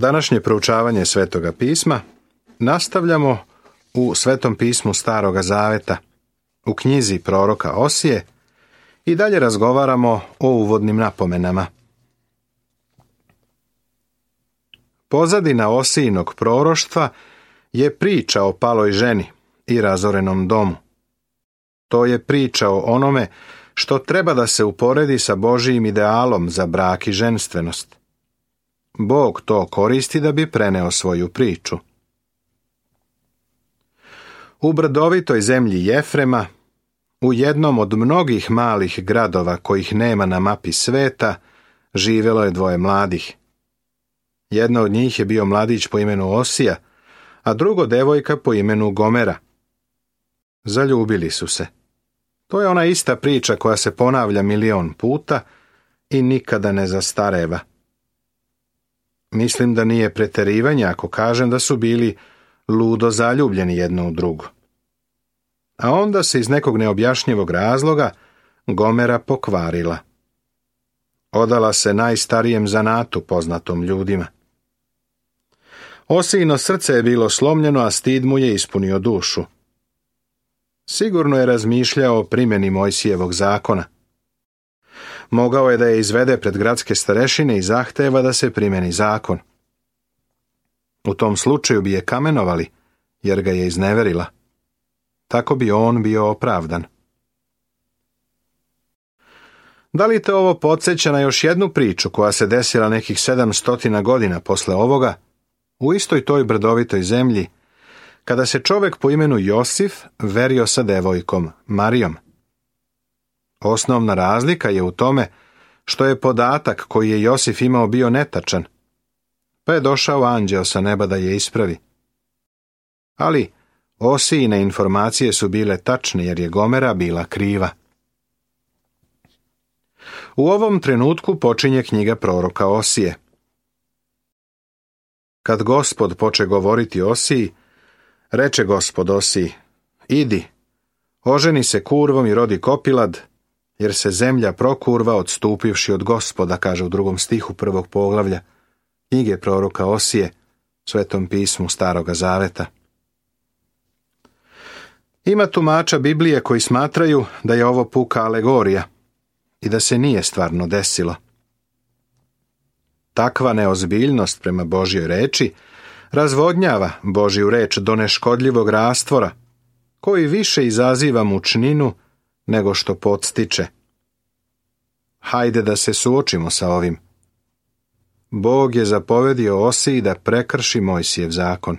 Današnje proučavanje Svetoga pisma nastavljamo u Svetom pismu Staroga Zaveta, u knjizi proroka Osije i dalje razgovaramo o uvodnim napomenama. Pozadina Osijinog proroštva je priča o paloj ženi i razorenom domu. To je priča o onome što treba da se uporedi sa Božijim idealom za brak i ženstvenost. Bog to koristi da bi preneo svoju priču. U brdovitoj zemlji Jefrema, u jednom od mnogih malih gradova kojih nema na mapi sveta, živjelo je dvoje mladih. Jedna od njih je bio mladić po imenu Osija, a drugo devojka po imenu Gomera. Zaljubili su se. To je ona ista priča koja se ponavlja 1.000.000 puta i nikada ne zastareva. Mislim da nije preterivanje ako kažem da su bili ludo zaljubljeni jedno u drugo. A onda se iz nekog neobjašnjivog razloga Gomera pokvarila. Odala se najstarijem zanatu poznatom ljudima. Osijino srce je bilo slomljeno, a stid mu je ispunio dušu. Sigurno je razmišljao o primjeni Mojsijevog zakona. Mogao je da je izvede pred gradske starešine i zahteva da se primjeni zakon. U tom slučaju bi je kamenovali, jer ga je izneverila. Tako bi on bio opravdan. Da li te ovo podsjeća na još jednu priču koja se desila nekih 700 godina posle ovoga, u istoj toj brdovitoj zemlji, kada se čovjek po imenu Josif verio sa devojkom Marijom? Osnovna razlika je u tome što je podatak koji je Josif imao bio netačan, pa je došao anđeo sa neba da je ispravi. Ali Osijine informacije su bile tačne jer je Gomera bila kriva. U ovom trenutku počinje knjiga proroka Osije. Kad Gospod poče govoriti Osiji, reče Gospod Osiji: idi, oženi se kurvom i rodi kopilad, jer se zemlja prokurva odstupivši od Gospoda, kaže u 2. stihu 1. poglavlja knjige proroka Osije, Svetom pismu Staroga Zaveta. Ima tumača Biblije koji smatraju da je ovo puka alegorija i da se nije stvarno desilo. Takva neozbiljnost prema Božjoj reči razvodnjava Božju reč do neškodljivog rastvora, koji više izaziva mučninu nego što podstiče. Hajde da se suočimo sa ovim. Bog je zapovedio Osiji da prekrši Mojsijev zakon.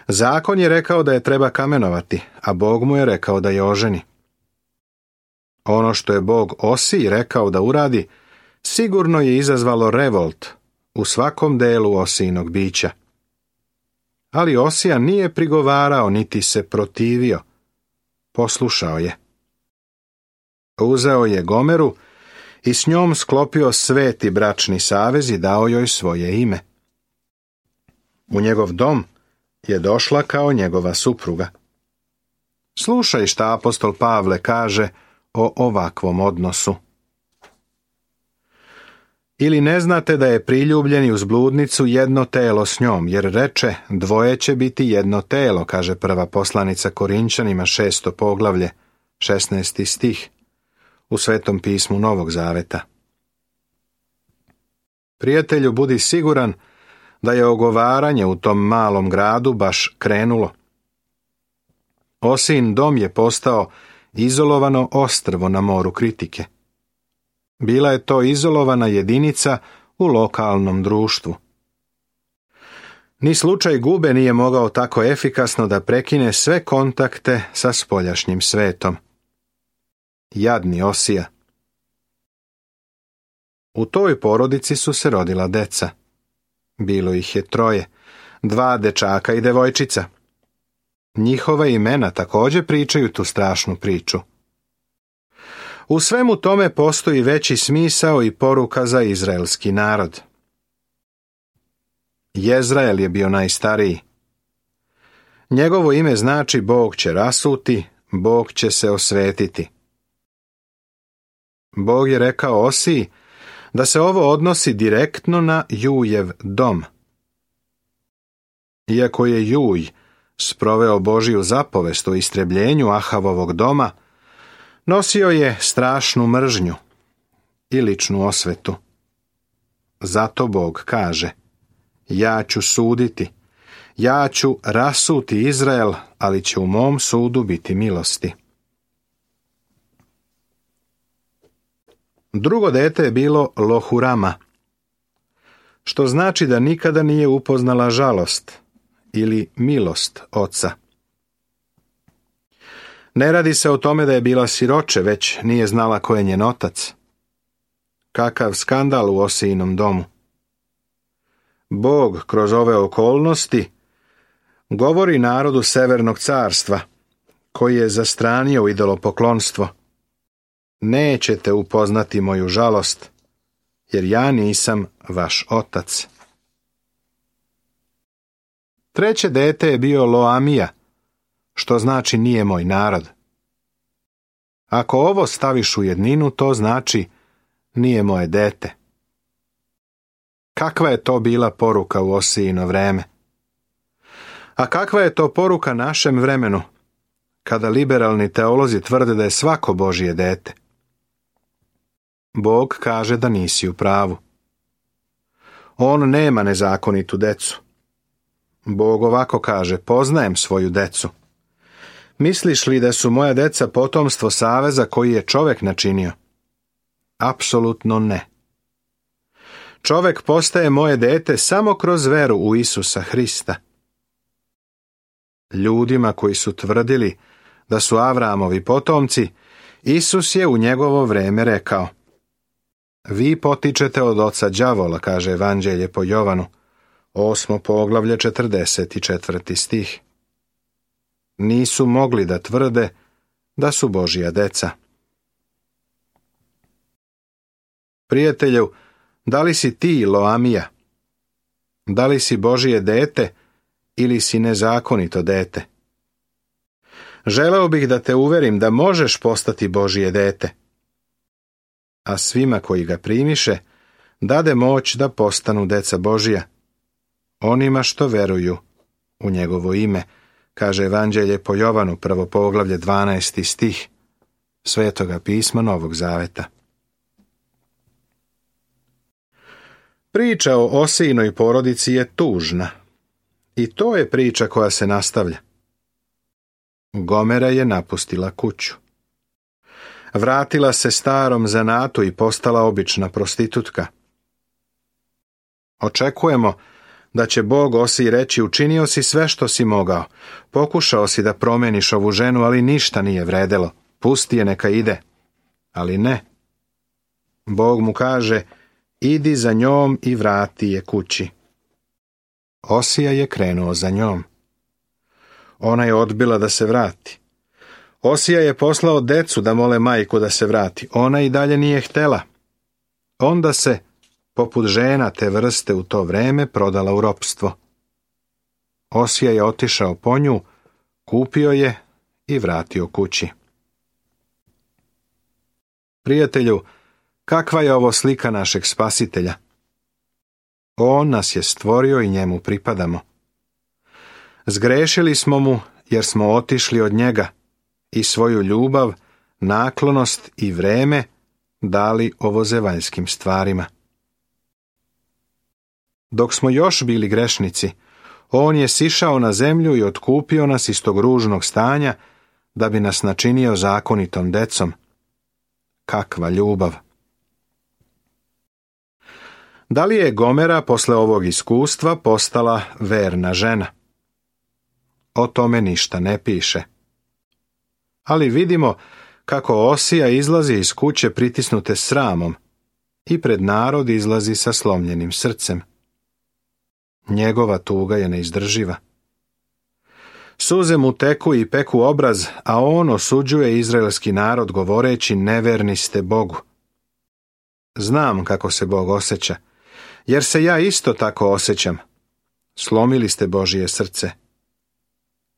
Zakon je rekao da je treba kamenovati, a Bog mu je rekao da je oženi. Ono što je Bog Osiji rekao da uradi, sigurno je izazvalo revolt u svakom delu Osijinog bića. Ali Osija nije prigovarao niti se protivio. Poslušao je. Uzeo je Gomeru i s njom sklopio sveti bračni savez i dao joj svoje ime. U njegov dom je došla kao njegova supruga. Slušaj šta apostol Pavle kaže o ovakvom odnosu. Ili ne znate da je priljubljeni uz bludnicu jedno telo s njom, jer reče: dvoje će biti jedno telo, kaže prva poslanica Korinčanima 6. poglavlje, 16. stih, u Svetom pismu Novog Zaveta. Prijatelju, budi siguran da je ogovaranje u tom malom gradu baš krenulo. Osijin dom je postao izolovano ostrvo na moru kritike. Bila je to izolovana jedinica u lokalnom društvu. Ni slučaj Gube nije mogao tako efikasno da prekine sve kontakte sa spoljašnjim svetom. Jadni Osija. U toj porodici su se rodila deca. Bilo ih je 3, 2 dečaka i devojčica. Njihova imena također pričaju tu strašnu priču. U svemu tome postoji veći smisao i poruka za izraelski narod. Jezrael je bio najstariji. Njegovo ime znači Bog će rasuti, Bog će se osvetiti. Bog je rekao Osiji da se ovo odnosi direktno na Jujev dom. Iako je Juj sproveo Božiju zapovest o istrebljenju Ahavovog doma, nosio je strašnu mržnju i ličnu osvetu. Zato Bog kaže: ja ću suditi, ja ću rasuti Izrael, ali će u mom sudu biti milosti. Drugo dete je bilo Lohurama, što znači da nikada nije upoznala žalost ili milost oca. Ne radi se o tome da je bila siroče, već nije znala ko je njen otac. Kakav skandal u Osijinom domu. Bog kroz ove okolnosti govori narodu Severnog carstva, koji je zastranio u idolopoklonstvo: nećete upoznati moju žalost, jer ja nisam vaš otac. Treće dete je bio Loamija, što znači nije moj narod. Ako ovo staviš u jedninu, to znači nije moje dete. Kakva je to bila poruka u Osijino vreme? A kakva je to poruka našem vremenu, kada liberalni teolozi tvrde da je svako Božje dete? Bog kaže da nisi u pravu. On nema nezakonitu decu. Bog ovako kaže: poznajem svoju decu. Misliš li da su moja deca potomstvo saveza koji je čovjek načinio? Apsolutno ne. Čovjek postaje moje dete samo kroz veru u Isusa Hrista. Ljudima koji su tvrdili da su Avramovi potomci, Isus je u njegovo vrijeme rekao: vi potičete od oca đavola, kaže Evanđelje po Jovanu, 8. poglavlje, 44. stih. Nisu mogli da tvrde da su Božja deca. Prijatelju, da li si ti Loamija? Da li si Božje dete ili si nezakonito dete? Želeo bih da te uverim da možeš postati Božje dete, a svima koji ga primiše dade moć da postanu deca Božja, onima što veruju u njegovo ime, kaže Evanđelje po Jovanu, 1. poglavlje, 12. stih Svetoga pisma Novog Zaveta. Priča o Osijinoj porodici je tužna i to je priča koja se nastavlja. Gomera je napustila kuću. Vratila se starom zanatu i postala obična prostitutka. Očekujemo da će Bog Osiji reći: učinio si sve što si mogao, pokušao si da promeniš ovu ženu, ali ništa nije vredelo, pusti je neka ide. Ali ne. Bog mu kaže: idi za njom i vrati je kući. Osija je krenuo za njom. Ona je odbila da se vrati. Osija je poslao decu da mole majku da se vrati. Ona i dalje nije htela. Onda se, poput žena te vrste u to vreme, prodala u ropstvo. Osija je otišao po nju, kupio je i vratio kući. Prijatelju, kakva je ovo slika našeg Spasitelja? On nas je stvorio i njemu pripadamo. Zgrešili smo mu jer smo otišli od njega i svoju ljubav, naklonost i vreme dali ovozevaljskim stvarima. Dok smo još bili grešnici, on je sišao na zemlju i otkupio nas iz tog ružnog stanja da bi nas načinio zakonitom decom. Kakva ljubav! Da li je Gomera posle ovog iskustva postala verna žena? O tome ništa ne piše. Ali vidimo kako Osija izlazi iz kuće pritisnute sramom i pred narod izlazi sa slomljenim srcem. Njegova tuga je neizdrživa. Suze mu teku i peku obraz, a on osuđuje izraelski narod govoreći: neverni ste Bogu. Znam kako se Bog osjeća, jer se ja isto tako osjećam. Slomili ste Božje srce.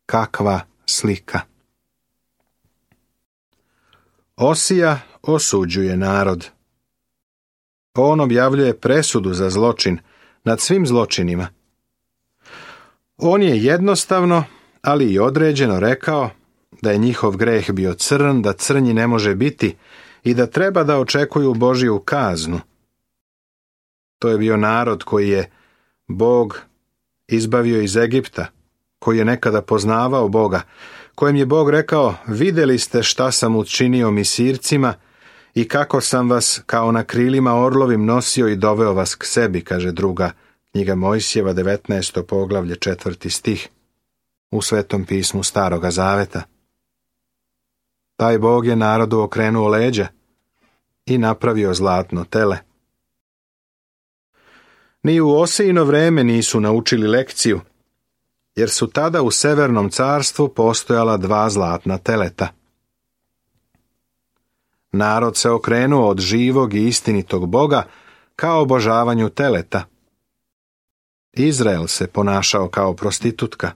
Kakva slika! Osija osuđuje narod. On objavljuje presudu za zločin nad svim zločinima. On je jednostavno, ali i određeno rekao da je njihov greh bio crn, da crnji ne može biti i da treba da očekuju Božju kaznu. To je bio narod koji je Bog izbavio iz Egipta, koji je nekada poznavao Boga, kojem je Bog rekao: vidjeli ste šta sam učinio Misircima i kako sam vas kao na krilima orlovim nosio i doveo vas k sebi, kaže druga knjiga Mojsijeva, 19. poglavlje, 4. stih u Svetom pismu Staroga Zaveta. Taj Bog je narodu okrenuo leđa i napravio zlatno tele. Ni u Osijino vreme nisu naučili lekciju, jer su tada u Severnom carstvu postojala 2 zlatna teleta. Narod se okrenuo od živog i istinitog Boga ka obožavanju teleta. Izrael se ponašao kao prostitutka.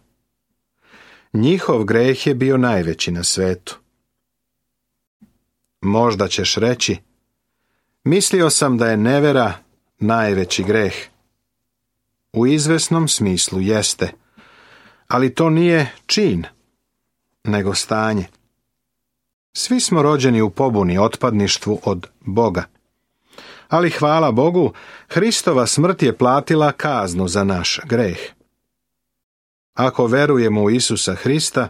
Njihov greh je bio najveći na svetu. Možda ćeš reći: mislio sam da je nevera najveći greh. U izvesnom smislu jeste, ali to nije čin, nego stanje. Svi smo rođeni u pobuni, otpadništvu od Boga. Ali hvala Bogu, Hristova smrt je platila kaznu za naš greh. Ako verujemo u Isusa Hrista,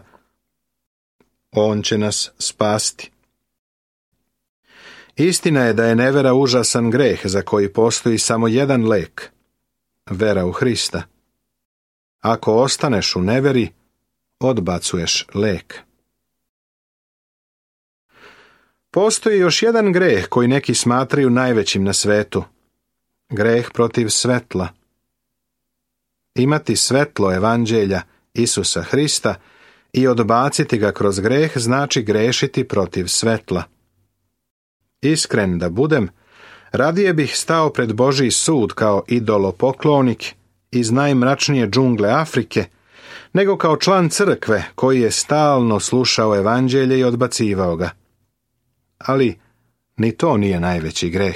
On će nas spasti. Istina je da je nevera užasan greh za koji postoji samo jedan lek: vera u Hrista. Ako ostaneš u neveri, odbacuješ lek. Postoji još jedan greh koji neki smatraju najvećim na svetu. Greh protiv svetla. Imati svetlo evanđelja Isusa Hrista i odbaciti ga kroz greh znači grešiti protiv svetla. Iskren da budem, radije bih stao pred Božji sud kao idolopoklonik iz najmračnije džungle Afrike, nego kao član crkve koji je stalno slušao evanđelje i odbacivao ga. Ali ni to nije najveći greh.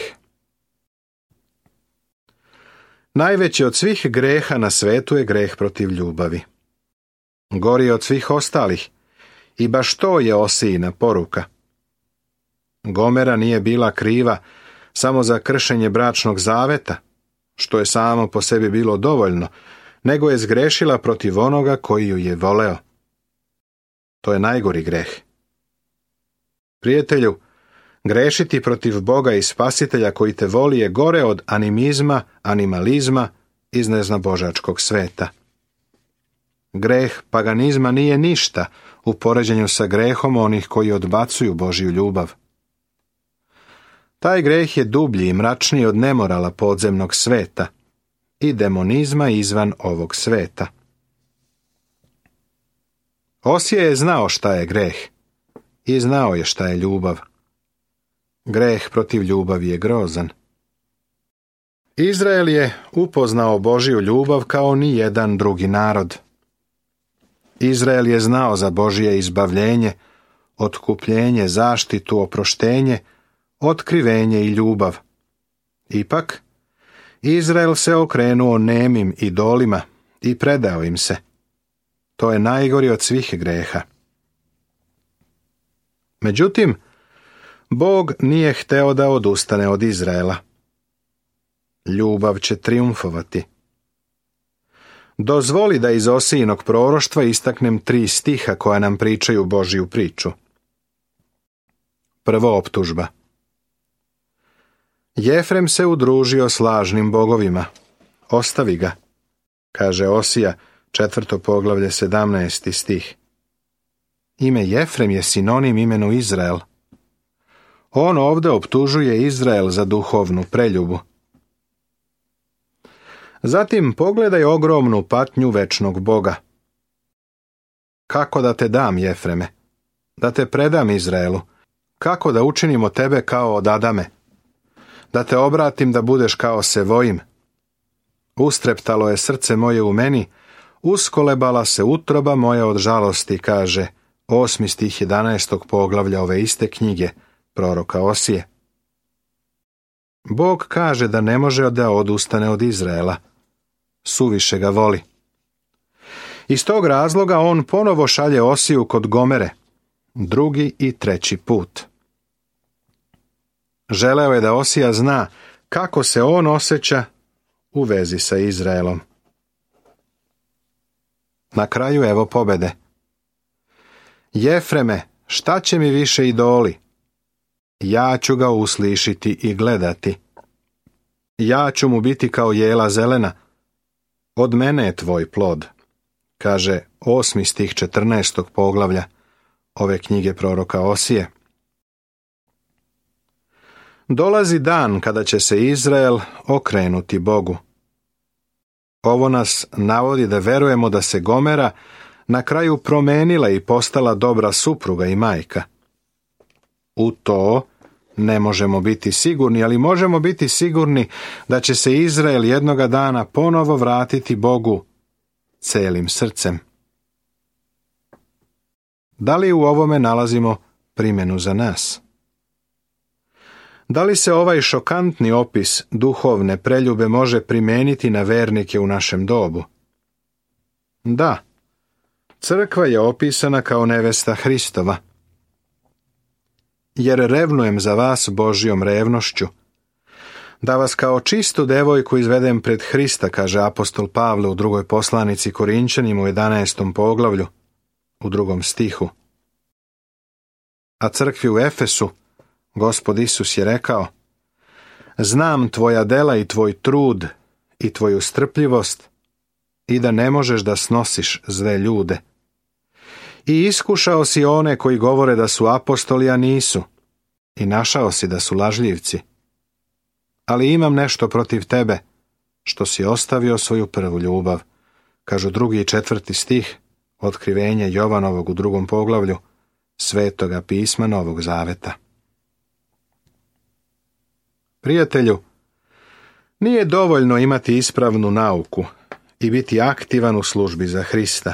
Najveći od svih greha na svetu je greh protiv ljubavi. Gori od svih ostalih, i baš to je Osijina poruka. Gomera nije bila kriva samo za kršenje bračnog zaveta, što je samo po sebi bilo dovoljno, nego je zgrešila protiv onoga koji ju je voleo. To je najgori greh. Prijatelju, grešiti protiv Boga i Spasitelja koji te voli je gore od animizma, animalizma iz neznabožačkog sveta. Greh paganizma nije ništa u poređenju sa grehom onih koji odbacuju Božju ljubav. Taj greh je dublji i mračniji od nemorala podzemnog sveta i demonizma izvan ovog sveta. Osija je znao šta je greh i znao je šta je ljubav. Greh protiv ljubavi je grozan. Izrael je upoznao Božju ljubav kao ni jedan drugi narod. Izrael je znao za Božje izbavljenje, otkupljenje, zaštitu, oproštenje, otkrivenje i ljubav. Ipak, Izrael se okrenuo nemim idolima i predao im se. To je najgori od svih greha. Međutim, Bog nije hteo da odustane od Izraela. Ljubav će trijumfovati. Dozvoli da iz Osijinog proroštva istaknem 3 stiha koja nam pričaju Božju priču. Prvo, optužba. Jefrem se udružio s lažnim bogovima. Ostavi ga, kaže Osija, 4. poglavlje, 17. stih. Ime Jefrem je sinonim imenu Izrael. On ovdje optužuje Izrael za duhovnu preljubu. Zatim pogledaj ogromnu patnju večnog Boga. Kako da te dam, Jefreme? Da te predam Izraelu? Kako da učinimo tebe kao od Adame? Da te obratim da budeš kao Sevojim? Ustreptalo je srce moje u meni, uskolebala se utroba moja od žalosti, kaže 8. stih 11. poglavlja ove iste knjige proroka Osije. Bog kaže da ne može da odustane od Izraela. Suviše ga voli. Iz tog razloga on ponovo šalje Osiju kod Gomere, 2. i 3. put. Želeo je da Osija zna kako se on osjeća u vezi sa Izraelom. Na kraju evo pobede. Jefreme, šta će mi više idoli? Ja ću ga uslišiti i gledati. Ja ću mu biti kao jela zelena. Od mene je tvoj plod, kaže 8. stih 14. poglavlja ove knjige proroka Osije. Dolazi dan kada će se Izrael okrenuti Bogu. Ovo nas navodi da verujemo da se Gomera na kraju promenila i postala dobra supruga i majka. U to ne možemo biti sigurni, ali možemo biti sigurni da će se Izrael jednoga dana ponovo vratiti Bogu celim srcem. Da li u ovome nalazimo primjenu za nas? Da li se ovaj šokantni opis duhovne preljube može primijeniti na vernike u našem dobu? Da, crkva je opisana kao nevesta Hristova. Jer revnujem za vas Božjom revnošću, da vas kao čistu devojku izvedem pred Hrista, kaže apostol Pavle u 2. poslanici Korinčanima u 11. poglavlju, u 2. stihu. A crkvi u Efesu Gospod Isus je rekao: znam tvoja dela i tvoj trud i tvoju strpljivost i da ne možeš da snosiš zle ljude. I iskušao si one koji govore da su apostoli, a nisu, i našao si da su lažljivci. Ali imam nešto protiv tebe, što si ostavio svoju prvu ljubav, kažu 2. i 4. stih Otkrivenja Jovanovog u 2. poglavlju Svetoga pisma Novog Zaveta. Prijatelju, nije dovoljno imati ispravnu nauku i biti aktivan u službi za Hrista.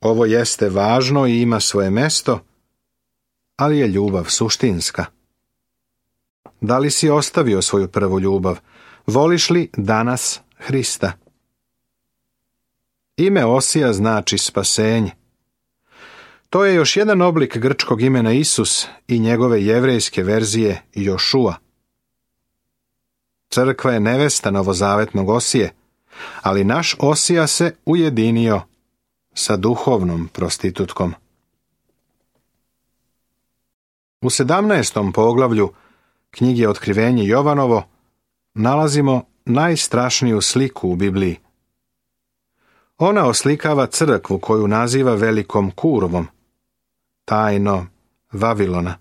Ovo jeste važno i ima svoje mesto, ali je ljubav suštinska. Da li si ostavio svoju prvu ljubav? Voliš li danas Hrista? Ime Osija znači spasenje. To je još jedan oblik grčkog imena Isus i njegove jevrejske verzije Jošua. Crkva je nevesta novozavetnog Osije, ali naš Osija se ujedinio sa duhovnom prostitutkom. U 17. poglavlju knjige Otkrivenje Jovanovo nalazimo najstrašniju sliku u Bibliji. Ona oslikava crkvu koju naziva velikom kurvom, tajno Vavilona.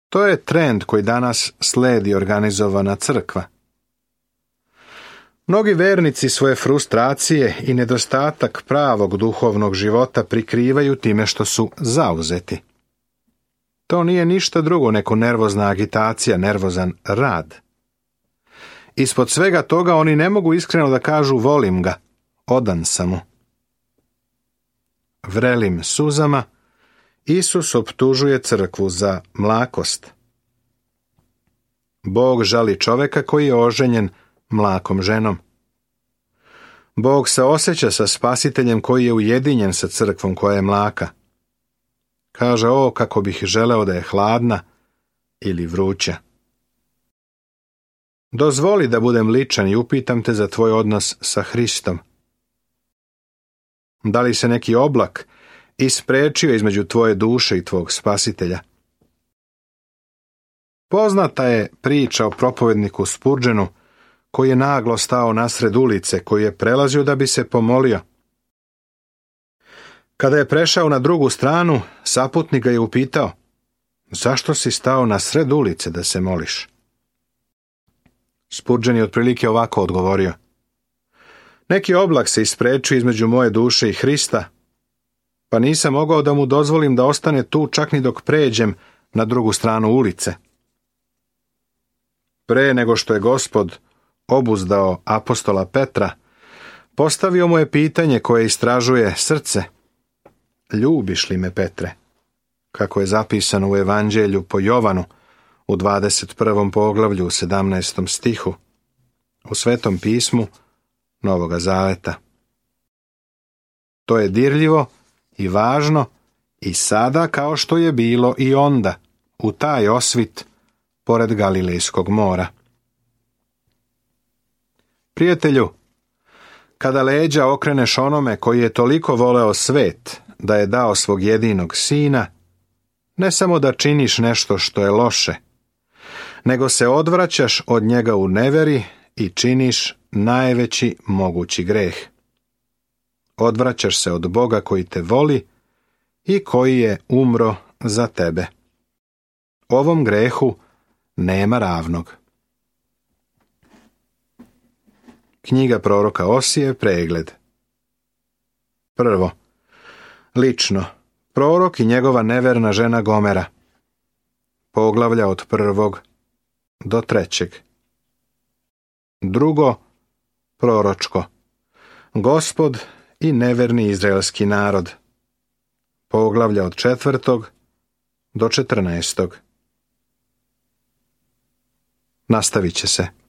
To je trend koji danas sledi organizovana crkva. Mnogi vernici svoje frustracije i nedostatak pravog duhovnog života prikrivaju time što su zauzeti. To nije ništa drugo nego nervozna agitacija, nervozan rad. Ispod svega toga oni ne mogu iskreno da kažu volim ga, odan sam mu. Vrelim suzama Isus optužuje crkvu za mlakost. Bog žali čoveka koji je oženjen mlakom ženom. Bog se osjeća sa spasiteljem koji je ujedinjen sa crkvom koja je mlaka. Kaže: o, kako bih želeo da je hladna ili vruća. Dozvoli da budem ličan i upitam te za tvoj odnos sa Hristom. Da li se neki oblak isprečio između tvoje duše i tvog spasitelja? Poznata je priča o propovedniku Spurgeonu koji je naglo stao nasred ulice, koji je prelazio da bi se pomolio. Kada je prešao na drugu stranu, saputnik ga je upitao: zašto si stao na sred ulice da se moliš? Spurgeon je otprilike ovako odgovorio: neki oblak se isprečio između moje duše i Hrista, pa nisam mogao da mu dozvolim da ostane tu čak ni dok pređem na drugu stranu ulice. Pre nego što je Gospod obuzdao apostola Petra, postavio mu je pitanje koje istražuje srce: ljubiš li me, Petre? Kako je zapisano u Evanđelju po Jovanu u 21. poglavlju u 17. stihu, u Svetom pismu Novoga Zaveta. To je dirljivo i važno i sada kao što je bilo i onda, u taj osvit pored Galilejskog mora. Prijatelju, kada leđa okreneš onome koji je toliko voleo svet da je dao svog jedinog sina, ne samo da činiš nešto što je loše, nego se odvraćaš od njega u neveri i činiš najveći mogući greh. Odvraćaš se od Boga koji te voli i koji je umro za tebe. Ovom grehu nema ravnog. Knjiga proroka Osije, pregled. Prvo, lično, prorok i njegova neverna žena Gomera. Poglavlja od 1. do 3. Drugo, proročko, Gospod i neverni izraelski narod. Poglavlja od 4. do 14. Nastavit će se.